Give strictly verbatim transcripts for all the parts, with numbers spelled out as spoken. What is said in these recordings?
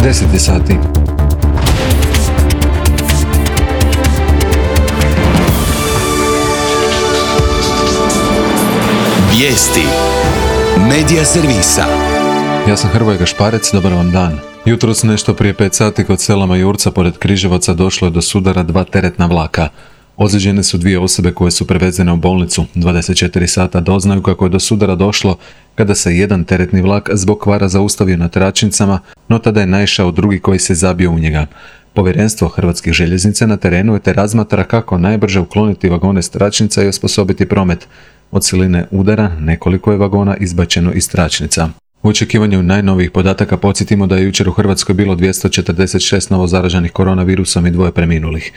deset je sati. Vijesti Medija servisa. Ja sam Hrvoje Gašparec, dobar vam dan. Jutros nešto prije pet sati kod sela Majurca pored Križevaca došlo je do sudara dva teretna vlaka. Ozlijeđene su dvije osobe koje su prevezene u bolnicu. dvadeset četiri sata doznaju kako je do sudara došlo kada se jedan teretni vlak zbog kvara zaustavio na tračnicama, no tada je naišao drugi koji se zabio u njega. Povjerenstvo Hrvatskih željeznica na terenu je te razmatra kako najbrže ukloniti vagone s tračnica i osposobiti promet. Od siline udara nekoliko je vagona izbačeno iz tračnica. U očekivanju najnovijih podataka podsjetimo da je jučer u Hrvatskoj bilo dvjesto četrdeset šest novo zaraženih koronavirusom i dvoje preminulih.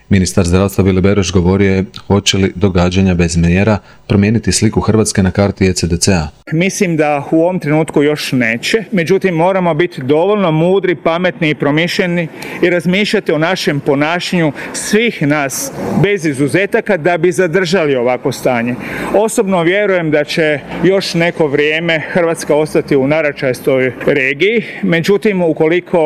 Ministar zdravstva Vili Beroš govorio je hoće li događanja bez mjera promijeniti sliku Hrvatske na karti E C D C-a. Mislim da u ovom trenutku još neće, međutim moramo biti dovoljno mudri, pametni i promišljeni i razmišljati o našem ponašanju svih nas bez izuzetaka da bi zadržali ovako stanje. Osobno vjerujem da će još neko vrijeme Hrvatska ostati u naračajstoj regiji, međutim ukoliko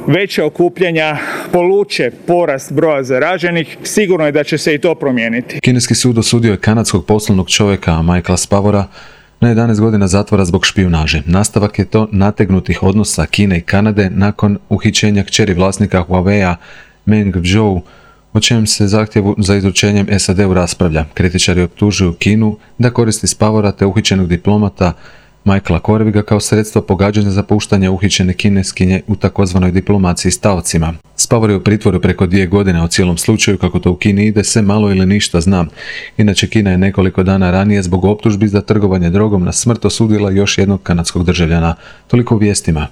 veće okupljanja poluče porast broja zaraženih, sigurno je da će se i to promijeniti. Kineski sud osudio je kanadskog poslovnog čovjeka Michaela Spavora na jedanaest godina zatvora zbog špijunaže. Nastavak je to nategnutih odnosa Kine i Kanade nakon uhićenja kćeri vlasnika Huawei-a Meng Wanzhou, o čem se zahtjevu za izručenjem S A D-u raspravlja. Kritičari optužuju Kinu da koristi Spavora te uhićenog diplomata Michaela Koreviga kao sredstvo pogađanja za puštanje uhićene Kineskinje u takozvanoj diplomaciji s taocima. Spavor je u pritvoru preko dvije godine, o cijelom slučaju kako to u Kini ide se malo ili ništa zna. Inače, Kina je nekoliko dana ranije zbog optužbi za trgovanje drogom na smrt osudila još jednog kanadskog državljana. Toliko u vijestima.